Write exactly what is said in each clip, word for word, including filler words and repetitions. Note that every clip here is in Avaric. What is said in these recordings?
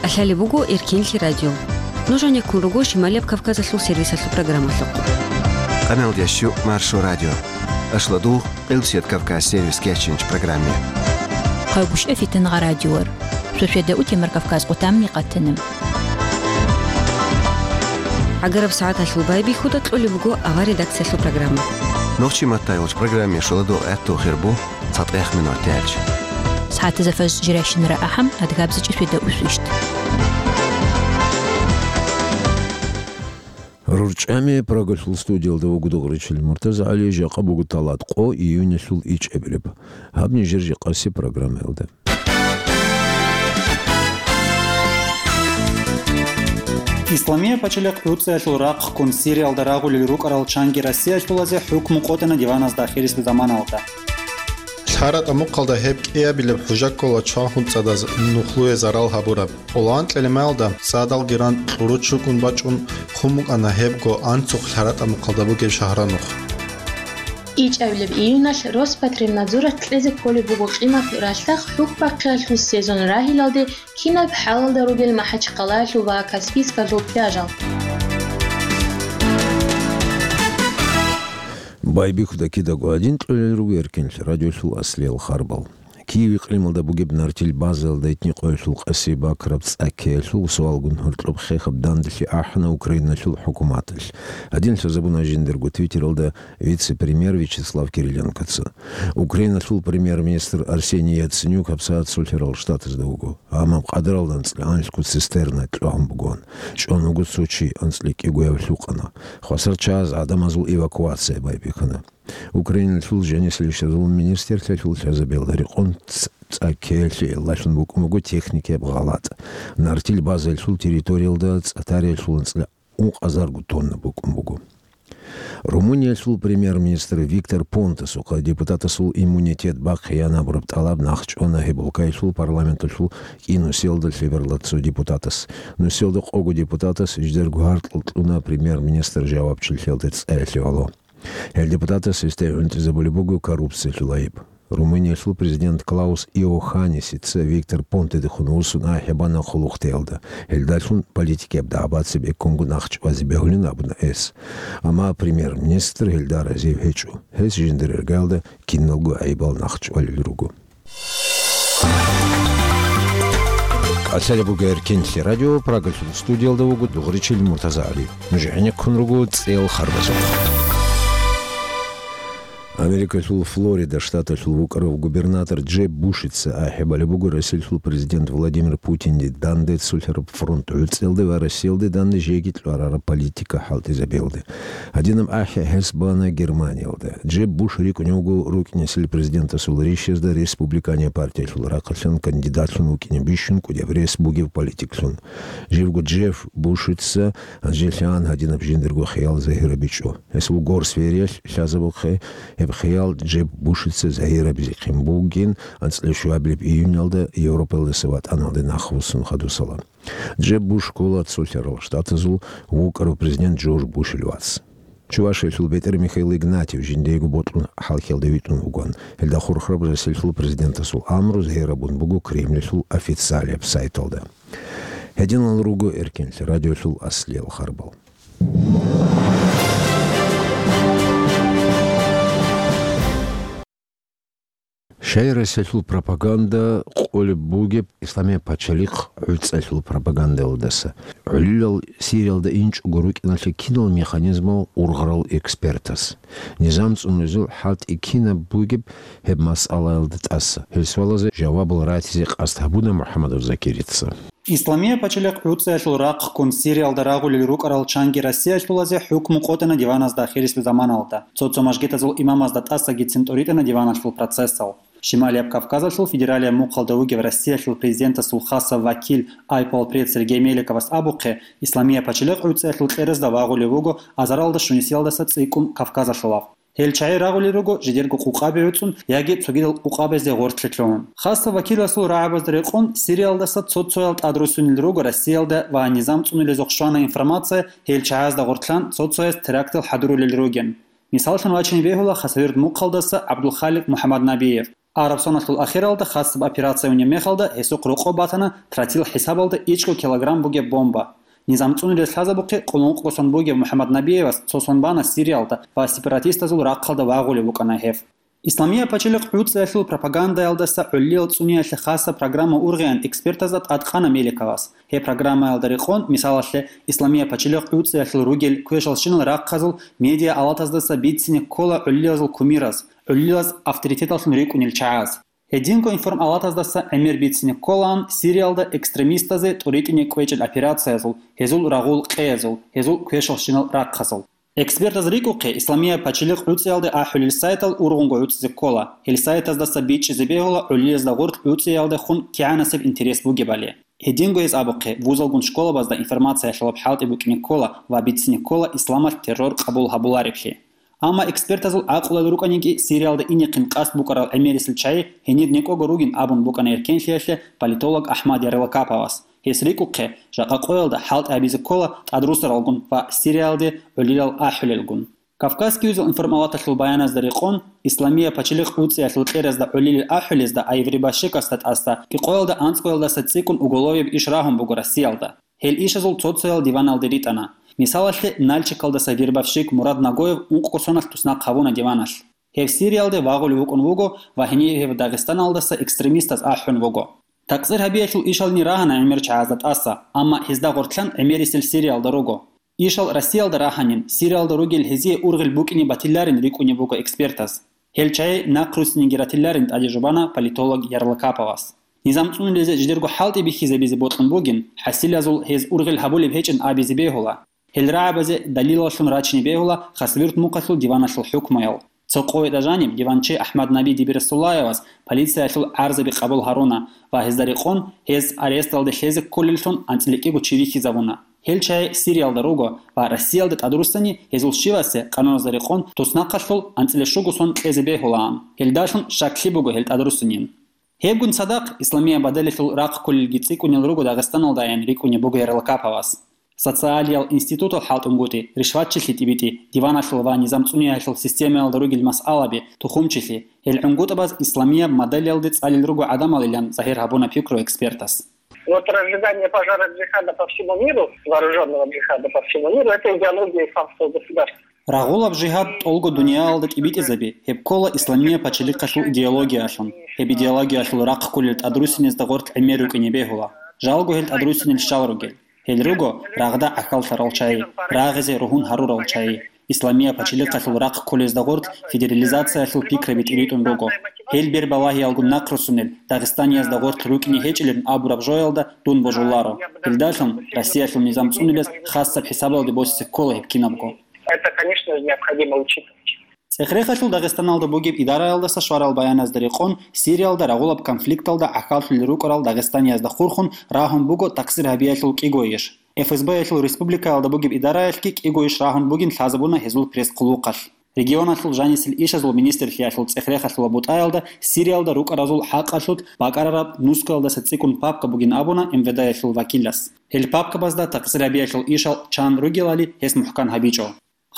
КӀалъалеб буго Эркенлъи радио. Нуж гьанеккун руго Шималияб Кавказалъул сервисалъул программалъухъ. Къаналдящу Маршо радио. Ашладугъ, Къилбсият Кавказ сервис кечинч программе. Хъайгуща фитангъа радиор. Сосведа утемар Кавказ къутамни къатанам. ГӀагараб сагӀаталъул байбихьуда кьолеб буго авар редакциялъул программа. Нохчи маттайолч программе шоладо гӀатту хирбу. ЦатӀех минут тяч. СагӀатаза фаз жиращинара ахӀам, адгабзичӀи светда усвищт. РурчӀами Прагалъул студиялда вуго Дугъричил Муртазагьали, жакъа буго талат къо июнялъул ичӀабилеб. Гьаб нижер жакъаси программаялда. Исламия пачалихъ ГӀуцӀиялъул рахъ ккун Сириялда рагъулел рукӀарал чанги Россиялъулазе хӀукму къотӀана диваназда ахирисеб заманалда. ЛъаратӀа мухъалда гьеб кӀиабилеб хӀужа ккола чван хунцӀадаз нухлуе зарал гьабураб. Къоло анкьилеб майалда цӀадалги ран кьуру чукӀун бачӀун хъун букӀана гьебго анцухъ ЛъаратӀа мухъалда бугеб шагьранухъ. ИчӀабилеб июналъ Роспотребнадзоралъ кьезе кколеб буго къимат ралъдахъ хӀухьбахъиялъул сезон рагьилалде кинаб хӀалалда ругел МахӀачхъалаялъул ва Каспийскалъул пляжал. Байбихьуда кидаго гьадин кьолел руго Эркенлъи радиолъул аслиял харбал. Киев икълималда бугеб Нартил базаялда гьитни къоялъул къаси бакраб цӀа ккеялъул суалгун гьоркьоб хехаб данделъи ахӀана Украиналъул хӀукуматалъ. Гьадин лъазабуна жиндирго Твиттералда вице-премьер Вячеслав Кириленкоца. Украиналъул премьер-министр Арсений Яценюк гьабсагӀат Цолъарал Штатазда вуго. Амма къадаралда анцӀила анлъго цистерна кьвагьун бугоан. ЧӀван вуго цо чи, анцӀила кӀигояв лъукъана. Хвасар чагӀаз гӀадамазул эвакуация байбихьана. Украиналъул жанисалищазул министрлъиялъул лъазабиялда рекъон ц-, цӀа ккеялъе эллалъун букӀун буго техникияб гъалатӀ. Нартил базаялъул территориялда цӀа тариялъул анцӀила ункъазарго тонна букӀун буго. Румыниялъул премьер-министр Виктор Понтасухъа депутатасул иммунитет бахъеян абураб тӀалаб нахъчӀвана гьеб улкаялъул парламенталъул кӀинусиялда лъеберла цо депутатас. Нусиялда къого депутатас жидерго гьаркьал кьуна премьер-министр жавабчилъиялда цӀаялъе гӀоло. Гьел депутатас гьесда гӀунтӀизабулеб буго коррупциялъул айиб. Румыниялъул президент Клаус Иоханнисица Виктор Понтедехун вуссун ахӀи бана хъулухътеялда. Гьелдалъун политикияб дагӀбаци бекунго нахъчӀвазе бегьулин абуна гьес. Амма премьер-министр гьелда разив гьечӀо. Гьес жиндир иргаялда киналго гӀайибал нахъчӀвалел руго. КӀалъалеб буго Эркенлъи радио, Прагалъул студиялда вуго Дугъричил Муртазагьали. Нуж гӀенеккун руго цӀел харбазухъ. Америкалъул Флорида штаталъул вукӀарав губернатор Джеб Бушица ахӀи балеб буго Россиялъул президент Владимир Путинде данде цолъараб фронт гӀуцӀиялде ва Россиялде данде жеги кьварараб политика хӀалтӀизабиялде. Гьадинаб ахӀи гьес бана Германиялда. Джеб Буш рикӀкӀунев вуго рукӀинесел президентасул ришазда республиканияб партиялъул рахъалъан кандидатлъун вукӀине бищун кӀудияб рес бугев политиклъун. Живго Джеб Бушица гьанжелъан гьадинаб жиндирго хиял загьирабичӀо. Гьес вугор Свериялъ лъазабухъе, гьеб хиял Джеб Бушица загьирабизехъин бугин анцӀила щуабилеб июньалда Европаялдаса ватӀаналде нахъвуссун хадусала. Джеб Буш ккола Цолъарал Штатазул вукӀарав президент Джордж Бушил вац. Чувашиялъул бетӀер Михаил Игнатьев жиндиего бокьун хӀалхьалда витӀун вугоан. Гьелда хурхараб Россиялъул президентасул амру загьирабун буго Кремльалъул официалияб сайталда. Гьединал руго Эркенлъи радиолъул аслиял харбал. Щай Россиялъул пропаганда къулеб бугеб Исламияб пачалихъ гӀуцӀалъул пропагандалдаса? ГӀолилал Сириялда инчӀого рукӀиналъе кинал механизмал ургъарал экспертас? Низам цӀунулезул хӀалтӀи кинаб бугеб гьеб масъалаялда тӀаса? Гьел суалазе жавабал ратизе къасд гьабуна МухӀаммадов Закирица. Исламия пачалихъ гӀуцӀиялъул рахъ ккун Сириялда рагъулел рукӀарал чанги Россиялъулазе хӀукму къотӀана диваназда ахирисеб заманалда. Цо-цо мажгитазул имамазда тӀасагицин тӀуритӀана диваналъул процессал. Шималияб Кавказалъул федералияб мухъалда вугев Россиялъул президентасул хасаб вакил айпалпред Сергей Меликовас абухъе, Исламия пачалихъ гӀуцӀиялъул кьеразда вагъулев вуго азаралда щунисиялдаса цӀикӀкӀун Кавказалъулав. Гьел чагӀи рагъулел руго жидерго къукъаби гӀуцӀун яги цогидал къукъабазде гъоркье лъугьун. Хасаб вакиласул рагӀабазда рекъон, Сириялдаса цо-цоял тӀадруссунел руго Россиялда ва низам цӀунулезухъ щвана информация, гьел чагӀазда гъоркьан цо-цояс терактал хӀадурулел ругин. Мисаллъун вачине бегьула Хасавюрт мухъалдаса ГӀабдулхаликъ МухӀаммаднабиев. Араб соналъул ахиралда хасаб операция унеб мехалда гьесухъ рокъоб батана тротил хӀисабалда ичӀго килограмм бугеб бомба. Низам цӀунулес лъазабухъе къулункъго сон бугев МухӀаммад Набиевас цо сон бана Сириялда ва сепаратистазул рахъалда вагъулев вукӀана гьев. Исламия пачалихъ гӀуцӀиялъул пропагандаялдаса гӀолилал цӀуниялъе хасаб программа ургъеян экспертазда тӀадкъана Меликовас. Гьеб программаялда рекъон, мисалалъе, Исламия пачалихъ гӀуцӀиялъул ругел квешалщинал рахъазул медиа алатаздаса бицине ккола гӀолилазул кумираз, гӀолилаз авторитеталлъун рикӀкӀунел чагӀаз. Гьединго информалатаздаса гӀемер бицине кколаан Сириялда экстремистазе тӀуритӀине кӀвечӀел операциязул, гьезул рагъул къеязул, гьезул квешалщинал рахъазул. Экспертаз рикӀухъе, Исламия пачалихъ гӀуцӀиялде ахӀулел сайтал ургъунго гӀуцӀизе ккола, гьел сайтаздаса бичӀчӀизе бегьула гӀолилазда гъорлъ гӀуцӀиялдехун кигӀанасеб интерес бугебали. Гьединго гьез абухъе, вузалгун школабазда информациялъулаб хӀалтӀи букӀине ккола ва бицине ккола исламалъ террор къабул гьабулареблъи. Амма экспертазул гӀакълуялда рукӀаниги, Сириялда инехъин къасд букӀарал гӀемерисел чагӀи гьенир некӀого ругин абун букӀана эркенлъиялъе политолог Ахмад Ярлакаповас. Гьес рикӀухъе, жакъа къоялда хӀалтӀи гьабизе ккола тӀадрусаралгун ва Сириялде гӀолилал ахӀулелгун. Кавказский узел информалаталъул баяназда рекъон, Исламия пачалихъ гӀуцӀиялъул кьеразда гӀолилел ахӀулезда Айври Башикасда тӀасда кӀикъоялда анцӀгоялдаса цӀикӀкӀун уголовияб иш рагьун буго Россиялда. Гьел ишазул цо-цоял диваналде ритӀана. Мисалалъе, Нальчикалдаса вербовщик Мурад Нагоев ункъго соналъ туснахъ гьавуна диваналъ. Гьев Сириялде вагъулев вукӀун вуго ва гьенив гьев Дагъистаналдаса экстремистаз ахӀун вуго. Такъсир гьабиялъул ишални рагьана гӀемер чагӀазда тӀаса, амма гьезда гъортлъан гӀемерисел Сириялда руго. Ишал Россиялда рагьанин, Сириялда ругел гьезие ургъел букӀине батиларин рикӀкӀунеб буго экспертаз. Гьел чагӀи нахъруссинеги ратиларин тӀаде жубана политолог Ярлакаповас. Низам цӀунулезе жидерго хӀалтӀи бихьизабизе бокьун бугин, хӀасилазул гьез ургъел гьабулеб гьечӀин абизе бегьула. Гьел рагӀабазе далилаллъун рачине бегьула Хасавюрт мухъалъул диваналъул хӀукмуял. Цо къоялда жаниб диванчи Ахмад Наби Дибирасуллаевас полициялъул гӀарзаби къабул гьаруна ва гьезда рекъон гьез аресталде лъезе кколеллъун анцӀила кӀиго чи вихьизабуна. Гьел чагӀи Сириялда руго ва Россиялда тӀадруссани гьезул щивасе къануназда рекъон туснахъалъул анцӀила щуго сон кьезе бегьулаан. Гьелдалъун щаклъи буго гьел тӀадруссинин. Гьебгун цадахъ, Исламия бадалалъул рахъ кколелги цӀикӀкӀунел руго Дагъистаналдайин рикӀкӀунеб буго Ярлакаповас. Социалиял институтал хӀалтӀунгутӀи, ришватчилъи тӀибитӀи, диваналъул ва низам цӀуниялъул системаялда ругел масъалаби, тухумчилъи, гьел гӀунгутӀабаз Исламия модалиялде цӀалел руго гӀадамалилан загьир гьабуна пикру экспертас. Вот разжигание пожара джихада по всему миру, вооружённого джихада по всему миру, это идеология исламского государства. Рагъулаб жигьад тӀолго дуниялалда тӀибитӀизаби, гьеб ккола Исламия пачалихъалъул идеологиялъун. Гьеб идеологиялъул рахъ кколел тӀадруссинезда гъорлъ гӀемер рукӀине бегьула. Жалго гьел тӀадруссинел щал ругел. Гьел руго рагъда гӀахьаллъарал чагӀи, рагъизе ругьун гьарурал чагӀи. Исламия пачалихъалъул рахъ кколезда гъорлъ федерализациялъул пикраби тӀиритӀун руго. Гьел бербалагьиялгун нахъруссунел Дагъистаниязда гъорлъ рукӀине гьечӀилан абураб жоялда дун божуларо. Гьелдалъун Россиялъул низам цӀунулес хасаб хӀисабалде босизе ккола гьеб кинабго. Это, конечно же, необходимо учитывать. ЦӀехрехалъул Дагъистаналда бугеб идараялдаса щварал баяназда рекъон, Сириялда рагъулаб конфликталда гӀахьаллъулел рукӀарал дагъистаниязда хурхун рагьун буго такъсир гьабиялъул кӀиго иш. ФСБ-ялъул республикаялда бугеб идараялъги кӀиго иш рагьун бугин лъазабуна гьезул пресс-хъулухъалъ. Регионалъул жанисел ишазул министрлъиялъул цӀехрехалъула бутӀаялда Сириялда рукӀаразул хӀакъалъулъ бакӀарараб нускаялдаса цӀикӀкӀун папка бугин абуна МВД-ялъул вакилас. Гьел папкабазда такъсир гьабиялъул ишал чан ругелали гьес мухӀкан гьабичӀо.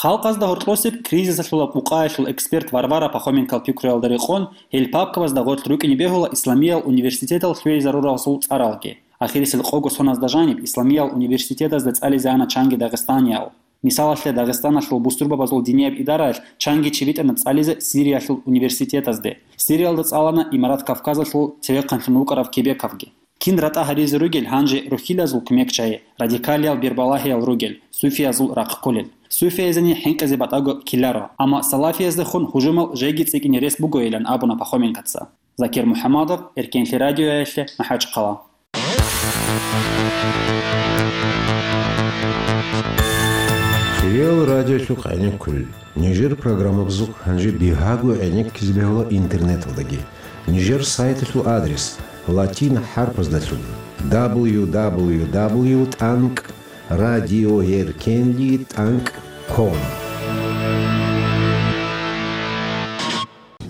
Халкъазда гьоркьосеб кризисалъула къукъаялъул эксперт Варвара Пахоменкол пикруялда рекъон, гьел папкабазда гъорлъ рукӀине бегьула Исламиял университетал лъугӀизаруралъул цӀаралги. Ахирисел къого соназда жаниб Исламиял университетазда цӀализе ана чанги дагъистаниял. Мисалалъе, Дагъистаналъул бусурбабазул динияб идараялъ чанги чи битӀана цӀализе Сириялъул университетазде. Сириялда цӀалана Имарат Кавказалъул цевехъанлъун вукӀарав Кебековги. Кин ратӀа гьаризе ругел гьанже рухьилазул кумекчагьи, радикалиял бербалагьиял ругел, суфиязул рахъ кколел. Суфияйзани хӀинкъизе батӀаго ккеларо, амма салафияздехун гьужумал жеги цӀикӀкӀине рес бугойилан абуна Пахоменкоца. Закир МухӀаммадов, Эркенлъи радиоялъе, МахӀачхъала. Кирил радиолъухъ гӀенеккулел. Нижер программабазухъ гьанже бигьаго гӀенеккизе бегьула интернеталдаги. Нижер сайталъул адрес латин хӀарпаздалъун: дабл ю дабл ю дабл ю тӀанкӀ радиоэркенли тӀанкӀ ком.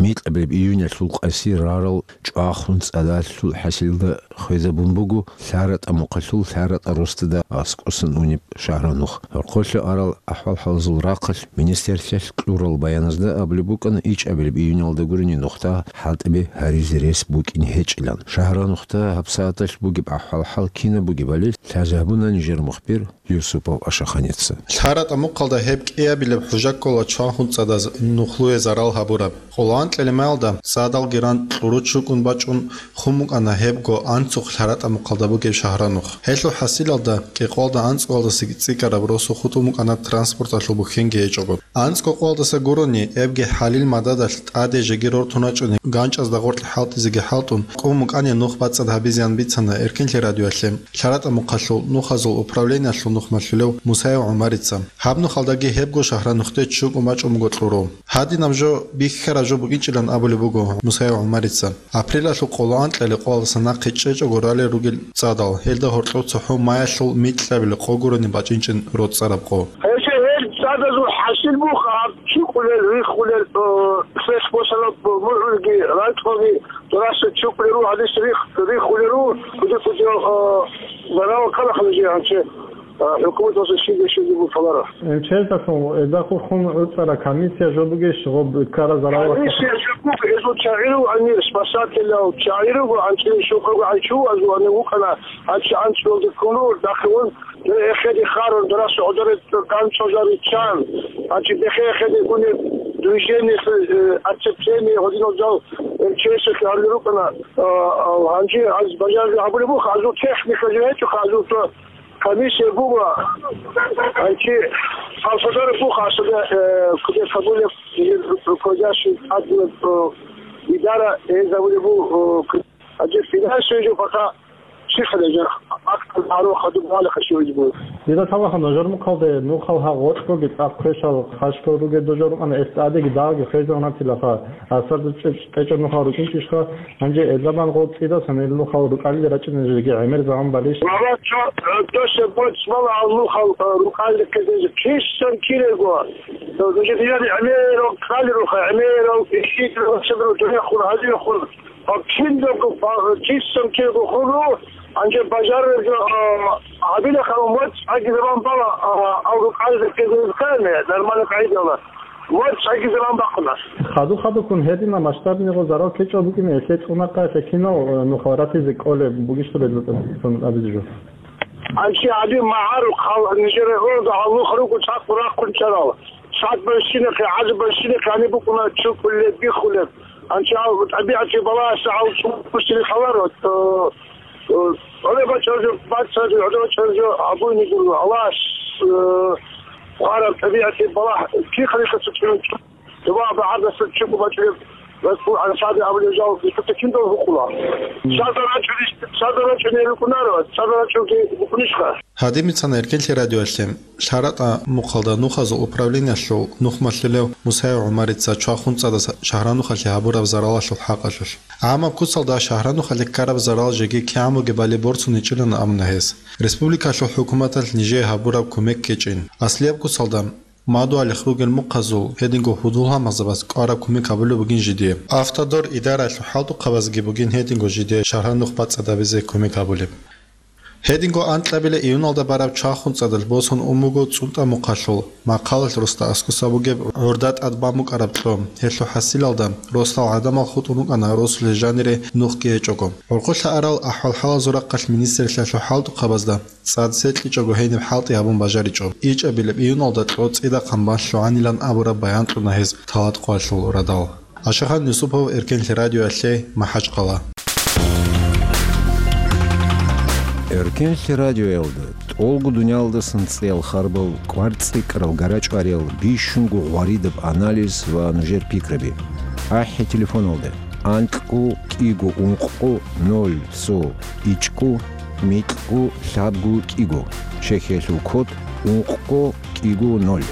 микьабилеб июнялъул къаси рарал чӀвахун цӀадалъул хӀасилда хвезабун буго ЛъаратӀа мухъалъул ЛъаратӀа росдада аскӀосан унеб шагьранухъ. Гьоркьолъа арал ахӀвал-хӀалазул рахъалъ министрлъиялъ кьурал баяназда абулеб букӀана ичӀабилеб июнялда гурони нухда хӀалтӀиби гьаризе рес букӀин гьечӀилан. Шагьранухда гьабсагӀаталъ бугеб ахӀвал-хӀал кинаб бугебали лъазабуна нижер мухбир Юсупов Ашаханица. ЛъаратӀа мухъалда гьеб кӀиабилеб хӀужа ккола чвахун цӀадаз нухлуе зарал гьабураб. Къоло анкьилеб маялда цӀадалги ран кьуру чукӀун бачӀун хун букӀана гьебго анцухъ ЛъаратӀа мухъалда бугеб шагьранухъ. Гьелъул хӀасилалда кӀикъоялда анцӀгоялдасаги цӀикӀкӀараб росу хутӀун букӀана транспорталъул бухьинги гьечӀого. АнцӀго къоялдаса гурони, эбги хӀалил мададалъ тӀаде жеги рортун рачӀуни, ганчӀазда гъоркье хӀалтӀизеги хӀалтӀун, кӀун букӀани нух бацӀцӀад гьабизеян бицана Эркинлъи радиоялъе ЛъаратӀа мухъалъул нухазул управлениялъул нухмалъулев Мусаев ГӀумарица. Гьаб нухалдаги гьебго шагьранухъде чукӀун бачӀун буго кьуру. Гьадинаб жо бихьараб жо букӀинчӀилан абулеб буго Мусаев ГӀумарица. Апрелалъул къоло анкьалеб къоялдаса нахъе чӀечӀого ралел ругел цӀадал, гьелда гьоркьов цохӀо маялъул микьабилеб къо гурони бачӀинчӀин роцӀцӀараб къо. Гьелъ гьел цӀадазул хӀасил буго гьаб чукӀулел, риххулел, э, хвех босараб мугӀулги, ракьалги, дураса чукӀулел руго, гьадис рихх-, риххулел руго, куди-куди, э, зарал ккарахъе гьанже. А, хӀукуматалъул щиб-щиб бугеб кколаро. Э, чездалъун, э, эдахъ хун гӀуцӀараб комиссия жо бугищ, гъоб ккараб зарал? Комиссия жо буго, гьезул чагӀи руго гьанир, спасателял чагӀи руго, анцӀила щокъого гьанчу азул гьанив вукӀана, гьанчи анцӀгоялде ккун руго, дагьабун, эхеде харун, дарас гӀодоре ганцӀазариччан, гьанчи бехе эхеде гунеб движение, э, оцепление, гьодинал жал МЧС-алъе гьарулел рукӀана, а, а, гьанже аз бажарли гьабулеб буго, азул техника жо гьечӀоха, азул цо комиссия буго, гьанчи Алсадар буго, Алсадар, э, куде кабулеб, э, руководящий админ, э, идара, э, забулеб буго, э, к-, гьанчи финансовый жо пока чихале жо, акт аро хадуб валихъа щивизе буго. Дида таваха нажар мухъалде, нухал гьа гъоркьоги цӀакъ квешал хъашкал ругел дожор рукъана, эс тӀадеги дагьги хвезегӀан гьатилаха, асарда чӀечӀ-, чӀечӀеб нухал рукӀинчӀищха? Гьанже эзабан гъол цӀидасан ил нухал рукӀалил рачӀинеги гӀемер заман балищ? Баба, чо, э, досе боцӀ бала гьал нухал, э, рукӀалил ккезе кисан кирего. Э, нужер яни гӀемерал ккалируха, гӀемерал ишидрал сабру дурехун, гьадинахун. Гьаб киналго, э, кисан кирего хуру, гьанже бажарарго, э, гьабилахъа моцӀ гьаги заман бала, э, гьал рукӀалил ккезе ккани, нормально къайдала. Ва цаги заман бахъуна. Хаду-хадуккун гьедина масштабниго зарал ккечӀеб букӀине, гьелъе цӀунахъа гьелъе кинал, э, нухал ратизе кӀолеб бугищха гьезда абизе жо? Анци гьади магӀарухъ гьал нижер гӀуруда гьалухъ руго цӀакъ рахъун чӀарал. Цад бащинахъе, гӀаз бащинахъе гьаниб букӀуна чукӀулеб, биххулеб. Анци гьал тӀабигӀатги балагьаса гьал чӀужу бусири халаро, э, Гьале бачӀаржо, бачӀаржо, гьале бачӀаржо, абуни гуро, Аллагьас, э, хъвараб тӀабигӀатги балагь, кихъалихъа цо чӀун, дуба багӀардаса чӀугу бачӀараб, расул ансаби абулев жал, ишута киндал гьукъула. Садар рачӀуни, садар рачӀуни рукӀунаро, садар рачӀунги букӀунищха? Гьадин бицана Эркинлъи радиоялъе ЛъаратӀа мухъалда нухазул управлениялъул нухмалъулев Мусаев ГӀумарица чвахун цӀадаса шагьранухалъе гьабураб заралалъул хӀакъалъулъ. ГӀамаб куцалда шагьранухалъе ккараб зарал жеги кигӀан бугебали борцуничӀилан абуна гьес. Республикалъул хӀукуматалъ нижее гьабураб кумек ккечӀин. Аслияб куцалда мадугьалихъ ругел мухъазул гьединго гьудул-гьалмагъзабаз кӀвараб кумек гьабулеб бугин жидее. Автодор идараялъул хӀалтӀухъабазги бугин гьединго жидее шагьранухъ бацӀцӀадабизе кумек гьабулеб. Гьединго анкьабилеб июналда бараб чвахун цӀадалъ босун ун буго ЦӀунтӀа мухъалъул Махъалалъ росда аскӀоса бугеб гӀурда тӀад бан букӀараб кьо. Гьелъул хӀасилалда росдал гӀадамал хутӀун рукӀана росулъе жанире нухги гьечӀого. ГӀурхъулъа арал ахӀвал-хӀалазул рахъалъ министрлъиялъул хӀалтӀухъабазда цӀад секьичӀого гьениб хӀалтӀи гьабун бажаричӀо. ИчӀабилеб июналда кьо цӀидахъан бан лъугӀанилан абураб баян кьуна гьез Талаткъоялъул радал. Ашахан Юсупов, Эркинлъи радиоялъе, МахӀачкъала. Эркинлъи радиоялда тӀолго дуниялдасан цӀеял харбал, кӀвар цӀикӀкӀарал, гара чӀвариял, бищунго гъваридаб анализ ва нужер пикраби. АхӀи телефоналда: анкьго кӀиго ункъго ноль цо ичӀго микьго лъабго кӀиго, чехиялъул код ункъго кӀиго ноль.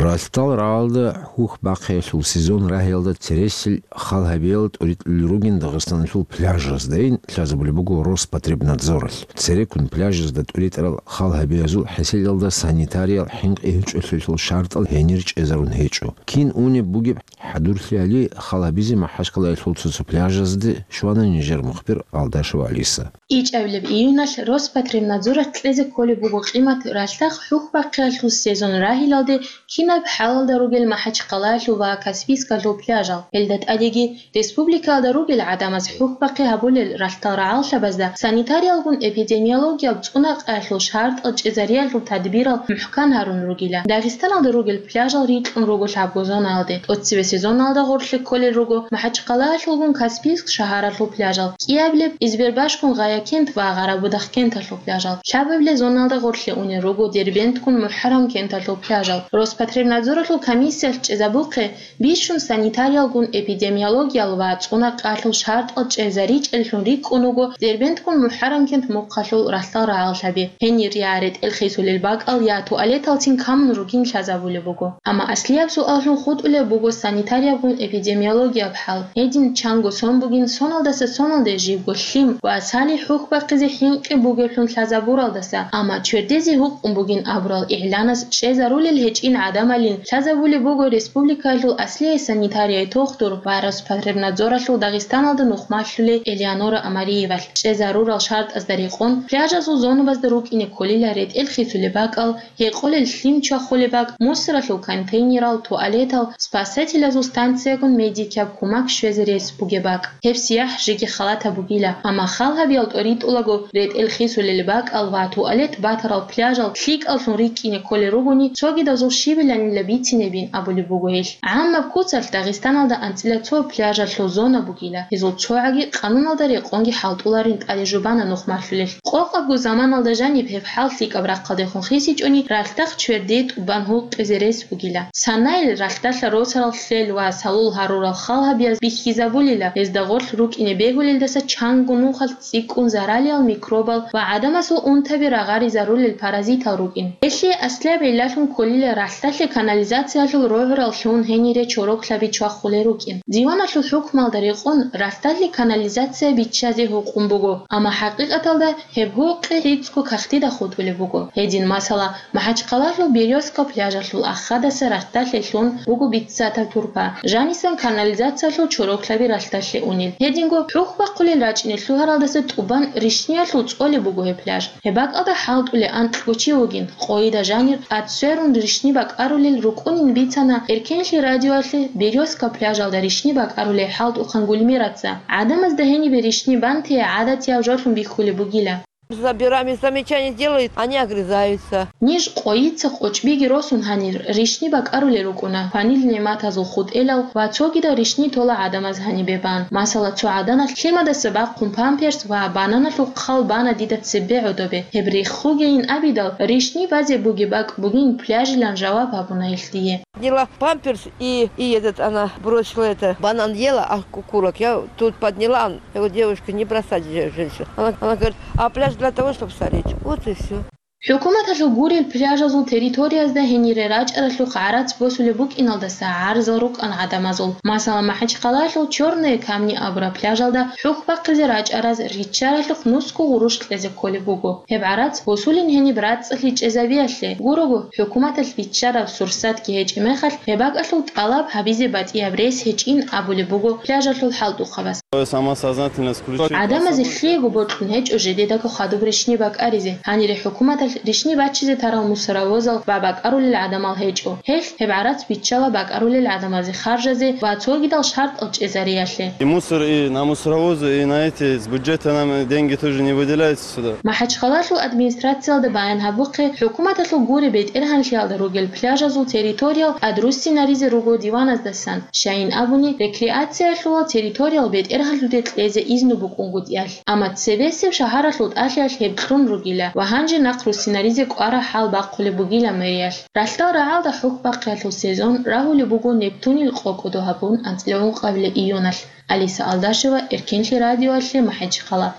Ралъдал рагӀалда хӀухь бахъиялъул сезон рагьиялда цересел хал гьабиялда тӀоритӀулел ругин Дагъистаналъул пляжаздайин лъазабулеб буго Роспотребнадзоралъ. Цереккун пляжазда тӀоритӀарал хал гьабиязул хӀеселалда санитариял хӀинкъи гьечӀолъиялъул шартӀал гьенир чӀезарун гьечӀо. Кин унеб бугеб хӀадурлъиялъе хал гьабизе МахӀачхъалаялъул цо-цо пляжазде щвана нижер мухбир Алдашева Алиса. ИчӀабилеб июналъ Роспотребнадзоралъ кьезе кколеб буго къимат ралъдал хӀухь бахъиялъул сезон рагьиялде кинаб хӀалалда ругел МахӀачхъалаялъул ва Каспийскалъул пляжал. Гьелда тӀадеги республикаялда ругел гӀадамаз хӀухь бахъи гьабулел ралъдал рагӀаллъабазда санитариялгун-эпидемиологияб цӀунакъаялъул шартӀал чӀезариялъул тадбирал мухӀкан гьарун ругила. Дагъистаналда ругел пляжал рикьун руго лъабго зонаялде. ТӀоцебе сезоналда гъорлъе кколел руго МахӀачхъалаялъулгун Каспийск шагьаралъул пляжал, кӀиабилеб Избербашгун Гъая кент ва Гъарабудахъ кенталъул пляжал, лъабабилеб зоналда гъорлъе унел руго Дербенткун МухӀарам кенталъул пляжал. Роспотребнадзоралъул комиссиялъ чӀезабухъе бищун санитариялгун-эпидемиологиял ва цӀунакъаялъул шартӀал чӀезаричӀеллъун рикӀкӀун вуго Дербенткун МухӀарам кент мухъалъул ралъдал рагӀаллъаби. Гьенир я ретӀел хисулел бакӀал, я туалеталцин камун ругин лъазабулеб буго. Амма аслияб суаллъун хутӀулеб буго санитариябгун эпидемиологияб хӀал. Гьедин чанго сон бугин соналдаса соналде жибго лъим ва салихӀ хӀухь бахъизе хӀинкъи бугеблъун лъазабуралдаса, амма чердезе гьукъун бугин абурал игӀланас чӀезарулел гьечӀин гӀадамалин лъазабулеб буго республикаялъул аслияй санитарияй тухтур ва Роспотребнадзоралъул Дагъистаналда нухмалъулей Элеонора Амариевалъ. ЧӀезарурал шартӀазда рекъон, пляжазул зонабазда рукӀине кколила ретӀел хисулеб бакӀал, гьекъолел лъим чвахулеб бакӀ, мусоралъул контейнерал, туалетал, спасателазул станциягун медикияб кумак щвезе рес бугеб бакӀ. Гьеб сияхӀ жеги халатаб бугила, амма хал гьабиял тӀоритӀулаго ретӀел хисулел бакӀал ва туалет батарал пляжал лъикӀаллъун рикӀкӀине кколел ругони, цогидазул щибиланила бицинебин абулеб буго гьелъ. ГӀаммаб куцалъ Дагъистаналда анцӀила цо пляжалъул зона бугила, гьезул цогӀаги къануналда рекъонги хӀалтӀуларин тӀаде жубана нухмалъулелъ. Къокъабго заманалда жаниб гьеб хӀал лъикӀаб рахъалдехун хисичӀони, ралъдахъ чердие тӀубан гьукъизе рес бугила. Санайил ралъдалъа росарал лъел ва салул гьарурал хал гьабияз бихьизабулила, гьезда гъорлъ рукӀине бегьулелдаса чанго нухалъ цӀикӀкӀун заралиял микробал ва гӀадамасул унтаби рагъаризарулел паразитал рукӀин. Гьелъие аслияб гӀиллалъун кколила ралъдалъе канализациялъул рогӀурал лъун гьенире чороклъаби чвахулел рукӀин. Диваналъул хӀукмалда рекъон ралъдалъе канализация биччазе гьукъун буго, амма хӀакъикъаталда гьеб гьукъи гӀицӀго кагътида хутӀулеб буго. Гьедин, масала, МахӀачхъалалъул Берёзка пляжалъул ахадаса ралъдалъе лъун буго биццатаб турпа, жанисан канализациялъул чороклъаби ралъдалъе унел. Гьединго хӀухь бахъулел рачӀине лъугьаралдаса тӀубан ришниялъул цӀолеб буго гьеб пляж. Гьеб бакӀалда хӀалтӀулей анкьго чи вугин, къойида жанир тӀад сверун ришни бакӀарулел рукӀунин бицана Эркенлъи радиоялъе Берёзка пляжалда ришни бакӀарулей хӀалтӀухъан Гульмираца. ГӀадамазда гьенибе ришни бантие гӀадатияб жолъун бихьулеб бугила. Забираем, замечания делают, они огрызаются. Ниж къойица къочӀбиги росун гьанир ришни бакӀарулел рукӀуна, кванил нигӀматазул хутӀелал ва цогидал ришни тола гӀадамаз гьанибе бан. Масала, цо гӀаданалъ лъимадаса бахъун памперс ва бананалъул хъал бана дида цебе гӀодобе. Гьеб рехугейин абидал, ришни базе бугеб бакӀ бугин пляжилан жаваб гьабуна гьелъ дие. Подняла памперс и, и этот, она бросила это, банан ела, а кукурок. Я тут подняла, он, я говорю, девушка, не бросать же женщину. Она, она говорит, а пляж для того, чтобы стареть. Вот и все. ХӀукуматалъул гурел пляжазул территориязда гьенире рачӀаралъухъ гӀарац босулеб букӀиналдаса гӀарзал рукӀан гӀадамазул. Масала, МахӀачхъалалъул Чёрные камни абураб пляжалда хӀухь бахъизе рачӀараз риччаралъухъ нусго гъурущ кьезе кколеб буго. Гьеб гӀарац босулин гьениб рацӀцӀалъи чӀезабиялъе гурого, хӀукуматалъ биччараб сурсатги гьечӀеб мехалъ, гьеб бакӀалъул тӀалаб гьабизе батӀияб рес гьечӀин абулеб буго пляжалъул хӀалтӀухъабаз. Самосознательность включить. ГӀадамазе лъиего бокьун гьечӀо жидедаго хадуб ришни бакӀаризе. Гьанире хӀукуматалъ ришни бачизе тарал мусоровозал ва бакӀарулел гӀадамал гьечӀо. Гьелъ гьеб гӀарац биччала бакӀарулел гӀадамазе харжазе ва цогидал шартӀал чӀезариялъе. И мусор, и на мусоровозы, и на эти, с бюджета нам деньги тоже не выделяются сюда. МахӀачхъалалъул администрациялда баян гьабухъе, хӀукуматалъул гуре бетӀергьанлъиялда ругел пляжазул территориял тӀадруссинаризе руго диваназдасан, щайин абуни, рекреациялъулал территориял бетӀергьанлъуде кьезе изну букӀунгутӀиялъ. Амма цебесеб шагьаралъул тӀалъиялъ гьеб кьун ругила ва гьанже нахъ руссинаризе кӀвараб хӀал бахъулеб бугила мэриялъ. Ралъдал рагӀалда хӀухь бахъиялъул сезон рагьулеб буго Нептунил къо-кӀодо гьабун анцӀила ункъабилеб июналъ. Алиса Алдашева, Эркенлъи радиоялъе, МахӀачхъала.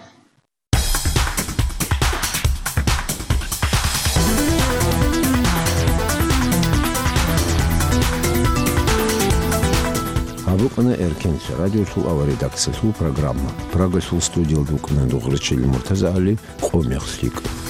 КӀана Эркенлъи радиолъул аварредакциялъул программа. Прагалъул студиялда вукӀана Дугърачил МуртазагӀали, «Къо мех лъикӀ».